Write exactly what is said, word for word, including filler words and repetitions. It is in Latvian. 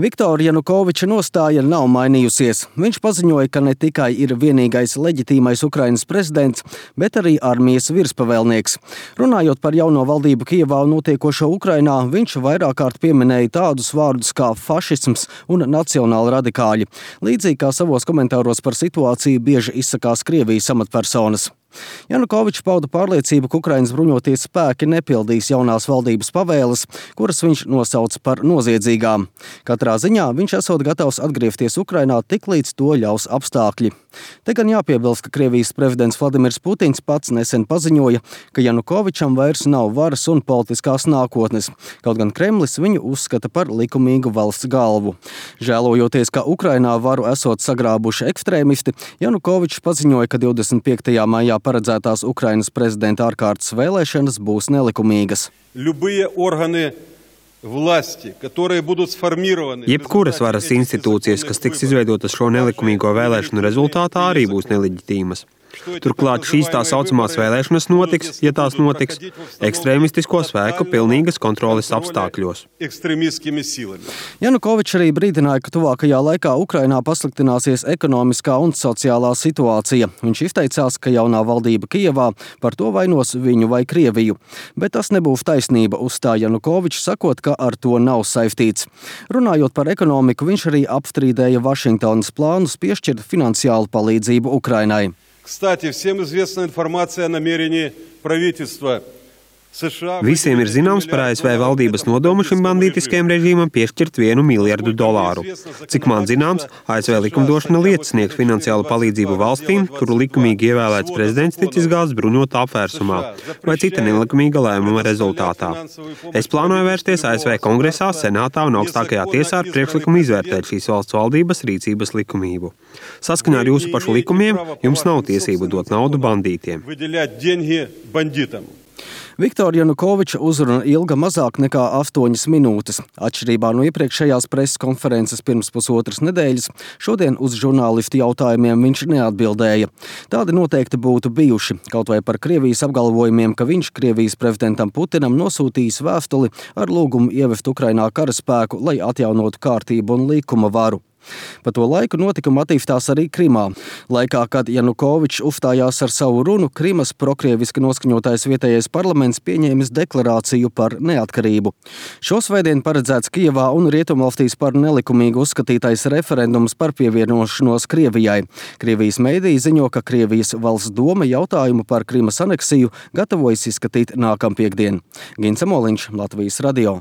Viktora Janukoviča nostāja nav mainījusies. Viņš paziņoja, ka ne tikai ir vienīgais leģitīmais Ukrainas prezidents, bet arī armijas virspavēlnieks. Runājot par jauno valdību Kijevā un notiekošo Ukrainā, viņš vairāk kārt pieminēja tādus vārdus kā fašisms un nacionāli radikāļi. Līdzīgi kā savos komentāros par situāciju bieži izsakās Krievijas amatpersonas. Janukovičs pauda pārliecību, ka Ukrainas bruņoties spēki nepildīs jaunās valdības pavēles, kuras viņš nosauca par noziedzīgām. Katrā ziņā viņš esot gatavs atgriezties Ukrainā tik līdz to ļaus apstākļi. Te gan jāpiebilst, ka Krievijas prezidents Vladimirs Putins pats nesen paziņoja, ka Janukovičam vairs nav varas un politiskās nākotnes, kaut gan Kremlis viņu uzskata par likumīgu valsts galvu. Žēlojoties, ka Ukrainā varu esot sagrābuši ekstrēmisti, Janukovičs paziņoja, ka divdesmit piektajā maijā paredzētās Ukrainas prezidenta ārkārtas vēlēšanas būs nelikumīgas. Jebkuras varas institūcijas, kas tiks izveidotas šo nelikumīgo vēlēšanu rezultātā, arī būs neleģitīmas. Turklāt šīs tā saucamās vēlēšanas notiks, ja tās notiks, ekstrēmistisko spēku pilnīgas kontroles apstākļos. Janukovičs arī brīdināja, ka tuvākajā laikā Ukrainā pasliktināsies ekonomiskā un sociālā situācija. Viņš izteicās, ka jaunā valdība Kijevā par to vainos viņu vai Krieviju. Bet tas nebūs taisnība, uzstāja Janukovičs, sakot, ka ar to nav saistīts. Runājot par ekonomiku, viņš arī apstrīdēja Vašingtonas plānus piešķirt finansiālu palīdzību Ukrainai. Кстати, всем известна информация о намерении правительства США. Visiem ir zināms par A S V valdības nodomu šim bandītiskajam režīmam piešķirt vienu miljardu dolāru. Cik man zināms, A S V likumdošana liedz sniegt finansiālu palīdzību valstīm, kuru likumīgi ievēlēts prezidents ticis gāzts bruņotā apvērsumā vai cita nelikumīga lēmuma rezultātā. Es plānoju vērsties A S V kongresā, senātā un augstākajā tiesā ar priekšlikumu izvērtēt šīs valsts valdības rīcības likumību. Saskaņā ar jūsu pašu likumiem jums nav tiesību dot naudu bandītiem. Viktora Janukoviča uzruna ilga mazāk nekā astoņas minūtes. Atšķirībā no iepriekšējās preses konferences pirms pusotras nedēļas, šodien uz žurnālistu jautājumiem viņš neatbildēja. Tādi noteikti būtu bijuši, kaut vai par Krievijas apgalvojumiem, ka viņš Krievijas prezidentam Putinam nosūtījis vēstuli ar lūgumu ievest Ukrainā karaspēku, lai atjaunotu kārtību un likuma varu. Pa to laiku notikuma attīstās arī Krimā. Laikā, kad Janukovičs uzstājās ar savu runu, Krimas prokrieviski noskaņotais vietējais parlaments pieņēmis deklarāciju par neatkarību. Šosvētdien paredzēts Kijevā un Rietumvalstīs par nelikumīgu uzskatītais referendums par pievienošanos Krievijai. Krievijas meidiji ziņo, ka Krievijas valsts doma jautājumu par Krimas aneksiju gatavojas izskatīt nākampiekdien. Gins Amoliņš, Latvijas radio.